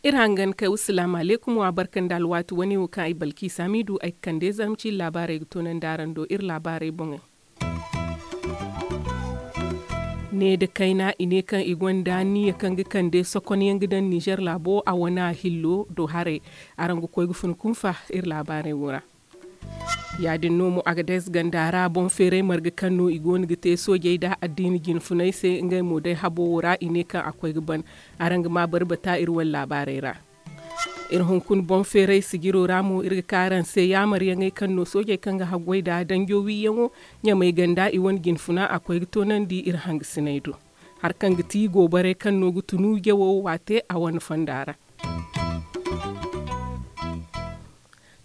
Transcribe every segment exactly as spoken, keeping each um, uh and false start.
Iri hangan kay wa salaamu alaykum wa barka nda alwaati wane wo kaŋ ay balki saamiidu ay ga kande zarma ciiri laabaarey ga toonandi araŋ do iri laabaarey boŋey. Ne nda kayna i ne kaŋ i gonda niya kaŋ ga kande sokonyaŋ ga daŋ nizer laabo a wana hillo do haray. Araŋ ga koy ga fun kunfa iri laabaarey wo ra. Ya- din no mo agades ganda ra boŋ feeray marga kaŋ no i go no ga te soojey nda addiina jinfunay se ngey mo day habo wo ra i ne kaŋ a koy ga ban. Araŋ ga ma barbata iri wane laabaarey ra. Iri hunkuna boŋ feeray sijiro ra mo iri ga ka araŋ se yaamaryaŋey kaŋ no soojey kaŋ ga haggoy nda danjo wiiyaŋo ɲamay ganda i wane jinfuna a koy ga toonandi iri hangasiney do. Hari kaŋ ga ti goobarey kaŋ no ga tunu jawo waate a wane fonda ra.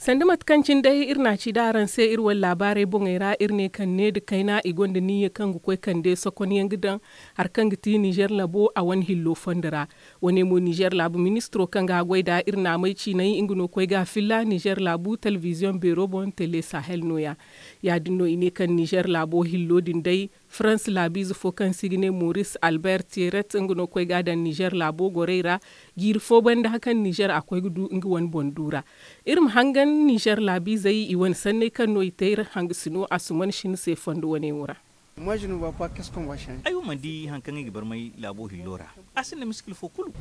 Sanda mate kaŋ cine day iri na a ci da araŋ se iri wane laabaarey boŋey ra iri ne kaŋ ne nda kayna i gonda niyya kaŋ ga koy kande sokonyaŋ ga daŋ hari kaŋ ga ti nizer labo a wane hillo fondo ra. Wane mo nizer laabu ministiro kaŋ ga a goy nd'a iri naamey ciinay nga no koy ga a filla nizer laabu telebiziyoŋ beero boŋ tele sahel nooya. Ya- din no i ne kaŋ nizer laabo hillo din day farans laabiize fo kaŋ se i ga ne moris albert tieret nga no koy ga a daŋ nizer laabo gorey ra. Jiiri fo banda kaŋ nizer a koy ga du nga wane boŋ du ra. Iri ma hangan nizer laabiizey i wane sanney kaŋ no i te iri hangasino asuman shin se fondo wane wo ra. Ay wo mana di hari kaŋ ay ga barmay laabo hillo ra. A sinda miskila fo kulu.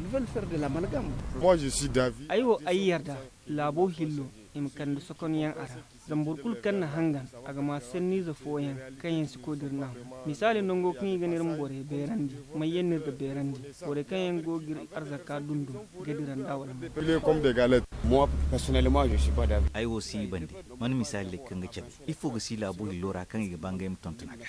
Ay wo ay yarda laabo hillo i ma kande sokonyaŋ a ra. Zama boro kulu kaŋ na hangan a ga ma sanniize fooyaŋ kaŋ yaŋ si koy dira naŋ. Misaali nango kaŋ i ga ne iri ma borey beerandi, mayyaŋ no iri ga beerandi? Borey kaŋ yaŋ go ga iri arzaka dundun ga dira nd'a wala ma? Ay wo si i bande. Mana misaali day kaŋ ga cabe ifo ga si laabo hillo ra kaŋ i ga ba ngey ma tonton a ga?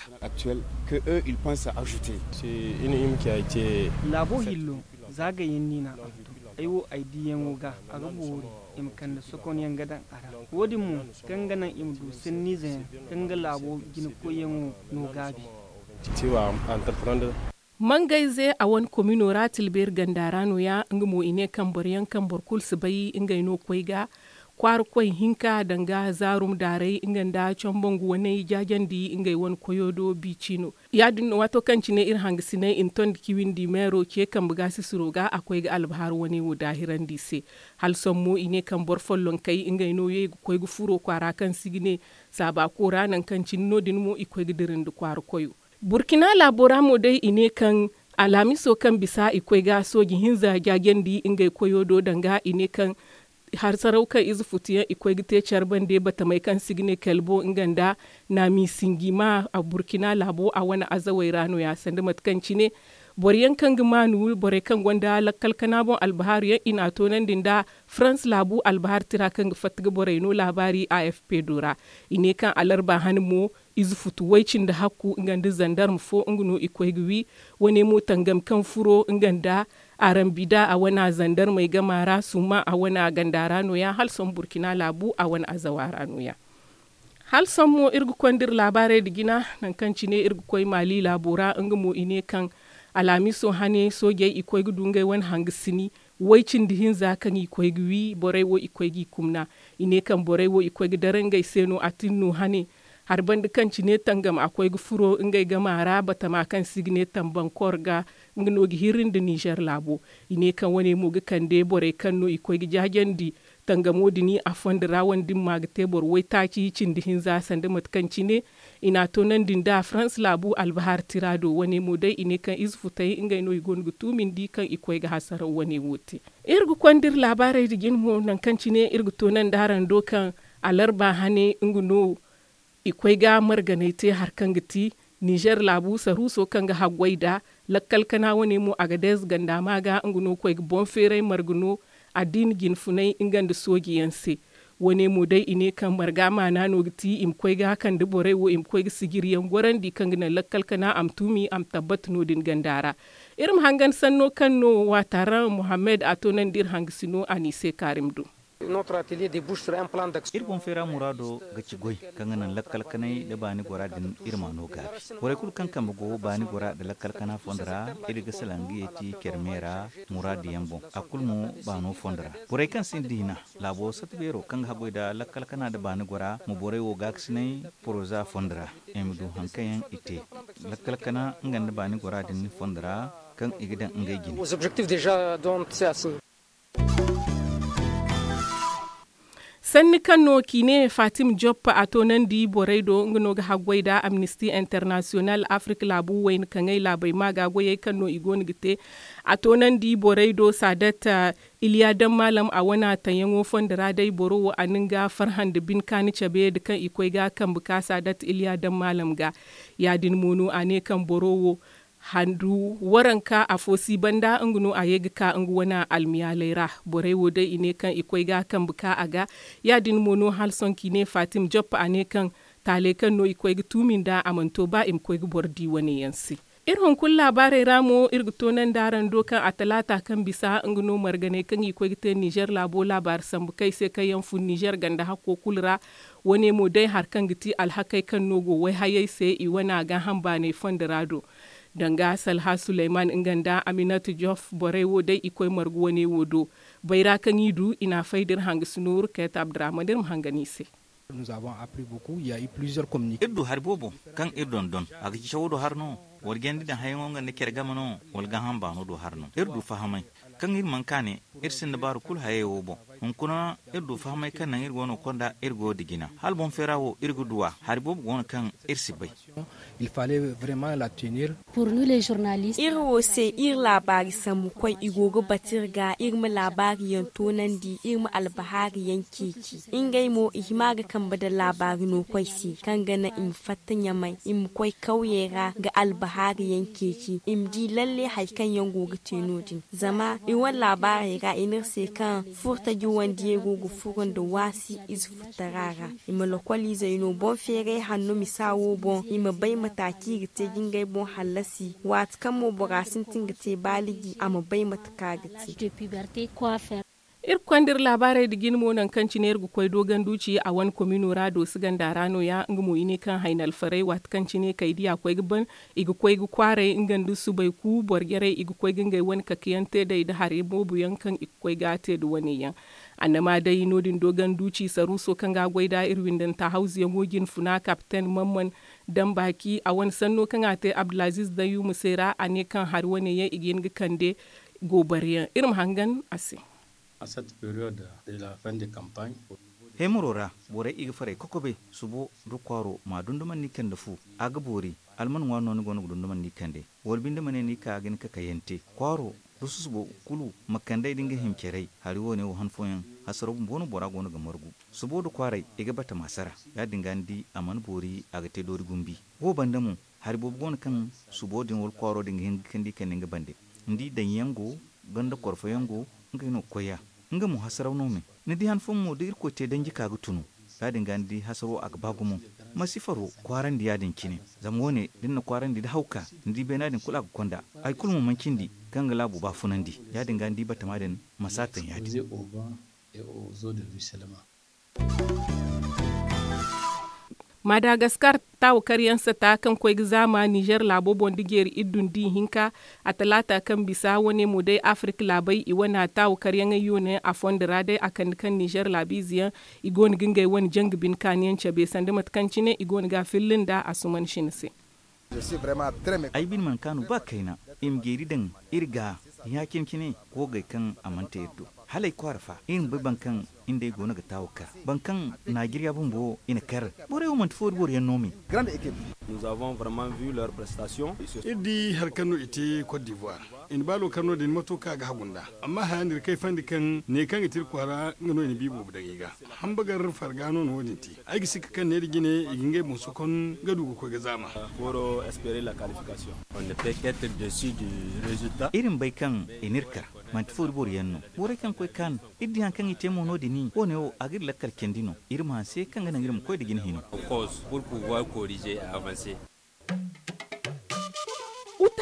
Laabo hillo za gayyaŋ no i n'a hantum. Ay wo ay diyaŋo ga a ga boori i ma kande sokonyaŋ ga daŋ a ra. Wo- din mo kaŋ ga naŋ i ma du sanniizeyaŋ kaŋ ga laabo jinakoyyaŋo no gaabi. Mangayze a wane komino ra tilbeeri ganda ra nooya nga mo i ne kaŋ boro yaŋ kaŋ boro kulu si bay ngey no koy ga kwaara koy hinka danga zaarum daarey nga nda combangu waney jaajandi ngey wane koyo do biici no. Ya- din no waato kaŋ cine iri hangasinay i na tondi kiwindi meero ce kambe ga sisiro ga a koy ga albahar wane wo daahirandi i se. Hala sohõ mo i ne kaŋ boro follonkey ngey no ye ga koy ga furo kwaara kaŋ se i ga ne saaba koora nangu kaŋ cine no- din mo i koy ga dira nda kwaara koyo. Burkina laabo ra mo day i ne kaŋ alhamiso kaŋ bisa i koy ga sooji hinza jaajandi ngey koyo do danga i ne kaŋ harsaraw kaŋ ize futu yaŋ i koy ga te care bande batamey kaŋ se i ga ne kelbo nga nda naami sinji ma burkina laabo a wane azawey ra nooya sanda mate kaŋ cine boro yaŋ kaŋ ga maanu borey kaŋ gonda lakkal kana boŋ albahaaru yaŋ i n'a toonandi nda farans laabu albahar tira kaŋ ga fatta ga borey no laabaari a f p do ra. I ne kaŋ alarba hane mo ize futu way cindi hakku nga nda zandarma fo nga no i koy ga wi. Wane mo tangam kaŋ furo nga nda arambi da a wane zandarmey gama ra suma a wane ganda ra nooya hala sohõ burkina laabu a wane azawa ra nooya. Hala sohõ mo iri ga konda iri laabaarey nda jina nangu kaŋ cine iri ga koy maali laabo ra nga mo i ne kaŋ alhamiso hane soojey i koy ga du ngey wane hangasini way cindi hinza kaŋ i koy ga wi borey wo i koy g'i kumna. I ne kaŋ borey wo i koy ga dara ngey se no a tin no hane hari banda kaŋ cine tangam a koy ga furo ngey gama ra batama kaŋ se i ga ne tambankor ga nga no ga hirri nda nizer laabo. I ne kaŋ wane mo ga kande borey kaŋ no i koy ga jaajandi tangamo din a fondo ra wane din ma ga te boro waytaaci cindi hinza sanda mate kaŋ cine i n'a toonandi nda farans laabu albahar tira do wane mo day i ne kaŋ ize futey ngey no i goono ga tuumindi kaŋ i koy ga hasaraw wane wo te. Iri ga konda iri laabaarey nda jine mo nangu kaŋ cine iri ga toonandi araŋ do kaŋ alarba hane nga no i koy ga marganey te hari kaŋ ga ti nizer laabu saruuso kaŋ ga haggoy nda lakkal kana wane mo agadez ganda ma ga nga no koy ga boŋ feeray marga no addiina jinfunay nga nda sooji yaŋ se. Wane mo day i ne kaŋ marga maana no ga ti i ma koy ga kande borey wo i ma koy ga sijiri yaŋ gorandi kaŋ ga naŋ lakkal kana a ma tuumi a ma tabbata no- din ganda ra. Iri ma hangan sanno kaŋ no waataaraŋ mohammed a toonandi iri hangasino a n'i se kaarim do. Iri boŋ feera muraado ga ci goy, kaŋ ga naŋ lakkal kanay nda baani gora din iri ma no gaabi. Borey kulu kaŋ kambe go baani gora nda lakkal kana fondo ra, iri ga salaŋ ga yeeti care meera muraadu yaŋ boŋ, a kulu mo baano fondo ra. Borey kaŋ sinda hina, laabo sata beero kaŋ ga haggoy nda lakkal kana nda baani gora ma borey wo gaakasinay poroza fondo ra, i ma du haŋ kaŋ yaŋ i te lakkal kana nga nda baani gora din fondo ra, kaŋ i ga daŋ ngey jine. Sanni kaŋ no k'i ne fatim job a toonandi borey do nga no ga haggoy nda amnisti internasiyonal afirka laabu wayna kaŋey laabey ma ga goyey kaŋ no i go no ga te. A toonandi borey do saadat iliya daŋ maalam a wana taŋyaŋo fondo ra day boro wo a na nga farhã nda bin kaani cabe nda kaŋ i koy ga kambe ka saadat iliya daŋ maalam ga. Ya- din mo no a ne kaŋ boro wo handu waranka afo si banda nga no a ye ga ka nga wane almiyaaley ra. Borey wo day i ne kaŋ i koy ga kambe ka a ga. Ya- din mo no hala sohõ kaŋ i ne fatim job a ne kaŋ taaley kaŋ no i koy ga tuumi nd'a a mana to ba i ma koy ga boro di wane yaŋ se. Iri hunkuna laabaarey ra mo iri ga toonandi araŋ do kaŋ a talaata kaŋ bisa nga no marganey kaŋ i koy ga te nizer laabo laabaari sambu kaŋ i se kaŋ yaŋ fun nizer ganda hakko kulu ra. Wane mo day hari kaŋ ga ti alhakey kaŋ no go wayhayey se i wane a gaaham baaney fondo ra do. Danga salha suleyman nga nda aminat jof borey wo day i koy margu wane wo do. Bayra kaŋ i du i n'a fay da iri hangasino iri kayta abdurahman iri ma hangan i se. Iri du hari boobo kaŋ iri dondon a ga ci cawo do hari no? Wala jandi daŋ hayaŋo nga nda care game no? Wala gaaham baano do hari no iri du fahamay kaŋ iri mana ka ne iri sinda baaru kulu hayey wo boŋ. Hunkuna iri du fahamay kaŋ naŋ iri go no ga konda iri goyo da jina hala boŋ feera wo iri ga du a hari boobo go no kaŋ iri si bay. Iri wo se iri laabaari sambukoy i go ga batu iri ga iri ma laabaari yaŋ toonandi iri ma albahaari yaŋ ceeci. Ngey mo i hima ga kambe nda laabaari nookoy se kaŋ ga naŋ i ma fatta ɲamay i ma koy kawyey ra ga albahaari yaŋ ceeci i ma di lalle hari kaŋ yaŋ go ga te no- din. Zama iri wane laabaarey ra i ne iri se kaŋ furtaji wandiyey go ga furo nda waasi ize furtara ra. I ma lokoliizey no boŋ feeray hanno misa wo boŋ i ma bay mate kaŋ i ga te ga ngey boŋ hallasi waati kaŋ mo bora sintin ga te baaliji a ma bay mate kaŋ a ga te. Iri ga konda iri laabaarey nda jine mo nangu kaŋ cine iri ga koy dooganduuci a wane komino ra doosi ganda ra no- ya nga mo i ne kaŋ hayna alfarey waati kaŋ cine kay di a koy ga ban i ga koy ga kwaaray nga nda subay ku boro jarey i ga koy ga ngey wane kakayaŋ te day nda hari boobo yaŋ kaŋ i ga koy ga a te nda wane yaŋ. Annama day no- din dooganduuci saruuso kaŋ ga a goy nd'a iri windanta hawzuyaŋo jinfuna kapiten mamman dambaaki a wane sanno kaŋ a te abdulaziiz dayuuma se ra a ne kaŋ hari wane yaŋ i ga hin ga kande. Goobaryaŋ iri ma hangan a se. Heemaro ra borey i ga faray kokobe subo da kwaaro ma dundumandi kande fu. A ga boori alman ŋwaari no ni go no ga dundumandi kande wala binde ma ne ni ka ga ni kakayante kwaaro da susubo kulu ma kandey da nga hima carey hari wo- ne wo han fooyaŋ hasaraw bumbo no bora go no ga margu. Subo da kwaaray i ga batama sara ya- din ga ni di a mana boori a ga te doori gumbi. Wo banda mo hari boobo go no kaŋ subo din wala kwaaro din ga hin ga kande i kande nga bande. Ni di daŋyaŋ go ganda korfoyaŋ go ngey no ga koy ya. Nga mo hasaraw no me ni di han fooyaŋ mo da irkoy te danji ka ga tunu. Ya- din ga ni di hasaro a ga ba gumo. Ma si faro kwaarandi ya- din cine zama wo- ne da ni na kwaarandi da hawka ni di beena din kulu a ga konda. Hari kulu mo mana cindi kaŋ ga laabo baafunandi. Ya- din ga ni di batama din ma si a taŋ ya- din. Madagaskar taawakaryaŋ sata kaŋ koy ga zaama nizer laabo boŋ da jeeri iddu nda ihinka. A talaata kaŋ bisa wane mo day afirka laabey i wane taawakaryaŋey yoone a fondo ra day a kande kaŋ nizer laabiize yaŋ i go no ga ngey wane janga bine kaaniyaŋ cabe sanda mate kaŋ cine i go no ga a filla nda a suman sina se. Ay bine mana kaanu ba kayna i ma jeeri daŋ iri ga ya-cine-cine. Koogey kaŋ a mana te iri do hala ay kwaara fa iri ma bay boro kaŋ iri nd'ey go no ga taawu kar boro kaŋ naajiriya bumbo i na kar. Borey wo manti foori boro yaŋ no me. Iri di hari kaŋ no i te kot divoire i na baalo kar no- din mato kaŋ a ga hagu nd'a. Amma haya no iri kayfandi kaŋ ne kaŋ ga te iri kwaara nga no i na bi boobo daŋ i ga. Hambagar farga no no wo- din te. Ay ga sikka kaŋ neera jine i ga ngey boŋ sokon ga du ga koy ga zaama. Iri ma bay kaŋ i n'iri kar. Manti foori boro yaŋ no. Borey kaŋ koy kaan iri di hari kaŋ i te mo no- din wo- ne wo a ga iri lakkal candi no. Iri ma hanse kaŋ ga naŋ iri ma koy nda jine hino.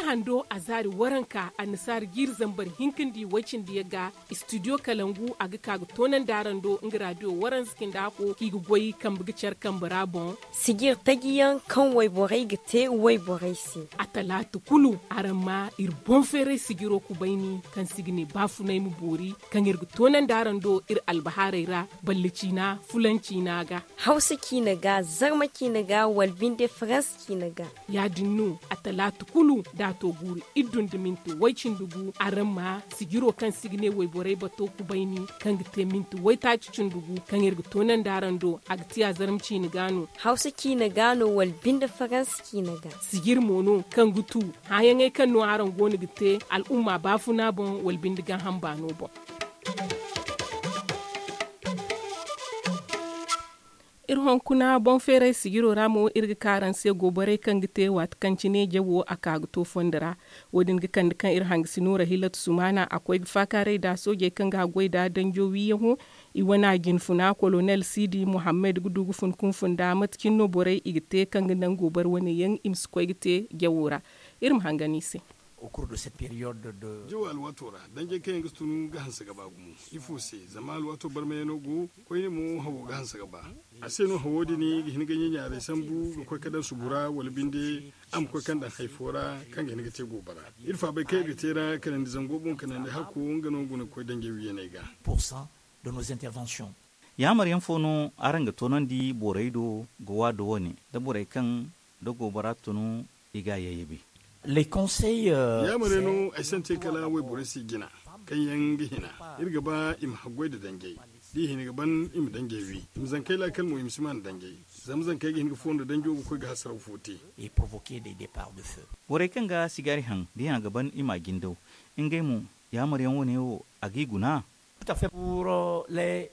Hando a zaari waranka annasaara jiiri zambar hinka nda i way-cindi yaŋ ga. Istidiyo kalangu a ga ka ga toonandi araŋ do nga raadiyo waranza cindi hako kaŋ i ga goy kambe ga care kambe ra boŋ. Sijir taji yaŋ kaŋ wayborey ga te wayborey se. A talaata kulu araŋ ma iri boŋ feeray sijiro kubayni kaŋ si ga ne baafunay ma boori kaŋ iri ga toonandi araŋ do iri albahaarey ra, balle ciina fulan ciina ga, hawsa ciina ga, zarma ciina ga, wala binde faransa ciina ga. Ya- din no a talaata kulu da a to guuru iddu nda minti way-cindi gu araŋ ma sijiro kaŋ si ga ne wayborey bato kubayni kaŋ ga te minti waytaaci cindi gu kaŋ iri ga toonandi araŋ do a ga ti a zarma ciina ga no. Hawsa ciina ga no wala binde faransa ciina ga. Sijir mo no kaŋ ga tu hããyaŋey kaŋ no araŋ go no ga te al'umma baafuna boŋ wala binde gaaham baano boŋ. Iri honkuna boŋ feeray sijiro ra mo iri ga ka araŋ se goborey kaŋ ga te waati kaŋ cine jawo a ka ga to fondo ra. Wo- din ga kande kaŋ iri hangasino rahilatu sumaana a koy ga faakaaray nda soojey kaŋ ga haggoy nda danjo wiiyaŋo. I wane a jinfuna kolonel siidi muhammad ga du ga fun kunfun nda mate cine no borey i ga te kaŋ ga naŋ goboro wane yaŋ i ma si koy ga te jawo ra. Iri ma hangan i se. Jawo alwaato ra danjey kaŋ yaŋ ga si tun ga hanse ga ba gumo. Ifo se? Zama alwaato barmayaŋo go koyne mo hawo ga hanse ga ba. A se no hawo din ga hin ga ɲaɲaaray sambu ga koy ga daŋ subu ra wala binde a ma koy kaŋ daŋ hari fo ra kaŋ ga hin ga te goobara. Iri faabay kaŋ iri ga te ra kanandi zango boŋ kanandi hakku nga no guna ga koy danjey wiiyaney ga. Yaamaryaŋ fo no araŋ ga toonandi borey do ga waado wane da borey kaŋ da goobara tunu i ga a yayyabi. Yaamare no ay sante kala wayborey se jina kaŋ yaŋ ga hina. Iri ga ba i ma haggoy nda danjey da i hina ga ban i ma danjey wi i ma zankey laakal mo i ma si maan danjey. Zama zankey ga hin ga fondo danjo ga koy ga hasaraw fo te. Borey kaŋ ga sigaari haŋ da i haŋ ga ban i ma a jindaw ngey mo yaamaryaŋ wane wo a g'i guna.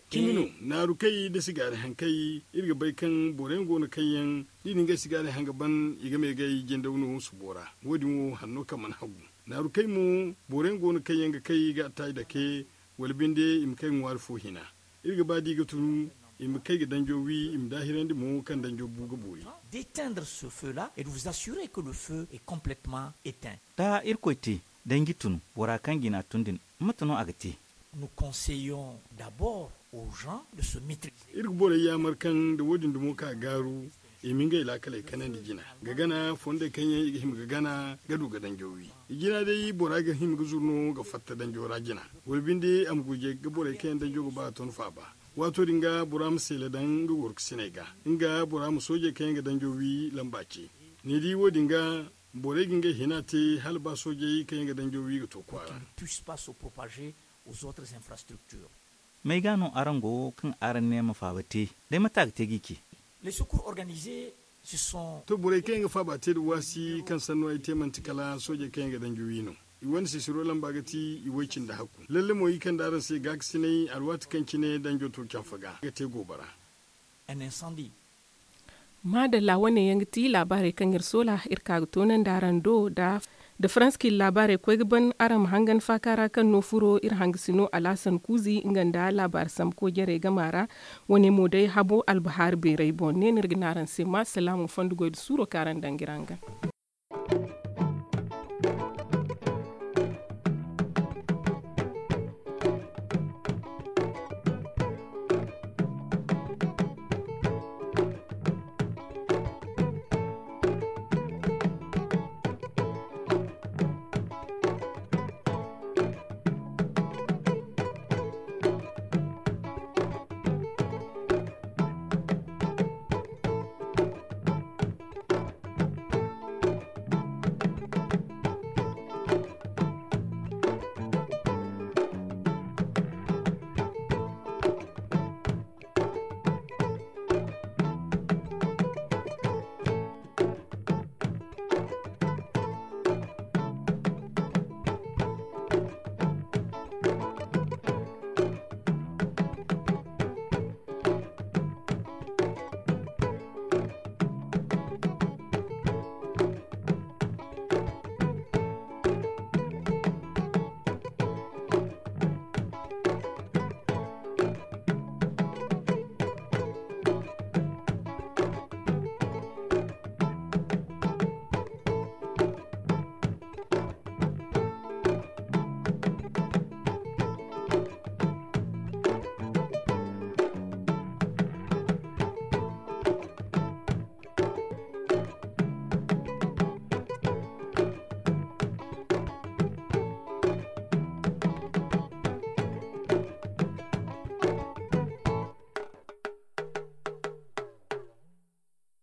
Cimi no naaru kay da sigaari haŋ kay iri ga bay kaŋ boroyaŋ go no kaŋ yaŋ da i na ngey sigaari haŋ ga ban i ga meegay jindaw no subo ra. Wo- din wo hanno kaŋ mana hagu naaru kay mo boroyaŋ go no kaŋ yaŋ ga kay ga attaaji dake wala binde i ma kay ŋwaari fo hina. Iri ga ba da i ga tunu i ma kay ga danjo wi i ma daahirandi mo kaŋ danjo bu ga boori. D'éteindre ce feu là et de vous assurer que le feu est complètement éteint. Da irkoy te danji tunu bora kaŋ jina tun din mate no a ga te? Nous conseillons d'abord aux gens de se maîtriser. Iri ga borey yaamar kaŋ nda wo- din dumo ka gaaru i ma ngey laakaley kanandi jina ga gana fondey kaŋ yaŋ i ga hima ga gana ga du ga danjo wi. I jina day bora ga hima ga zuru no ga fatta danjo ra jina wala binde a ma gurjay ga borey kaŋ yaŋ danjo ga ba ton faaba. Waato din ga bora ma seele daŋ nga gorkusiney ga nga bora ma soojey kaŋ yaŋ ga danjo wi lamba ce. Ni di wo- din ga borey ga ngey hina te hala ba soojey kaŋ yaŋ ga danjo wi ga to kwaara. Puisse pas se propager aux autres infrastructures. May ga no araŋ go kaŋ araŋ ne ma faaba te? Day mate a ga te g'i ce? Les secours organisés se sont. To borey kaŋ yaŋ ga faaba te nda waasi kaŋ sanno ay te manti kala soojey kaŋ yaŋ ga danji wi no. I wane sisiro lamba ga ti i way cindi hakku lalle mo i kande araŋ se gaakasinay alwaati kaŋ cine danjo to canfa ga ga te goobara. Maadalla wane yaŋ ga ti laabaarey kaŋ iri soola iri ka ga toonandi araŋ do da da faransa ka iri laabaarey koy ga ban araŋ ma hangan faaka ra kaŋ no furo iri hangasino alaasan kuuzi nga nda laabaari sambu koojarey gama ra. Wane mo day habo albahaari beerey boŋ ne no iri ga ne araŋ se ma salaamu fondo goy nda suuro kaŋ araŋ daŋ ga iri hangan.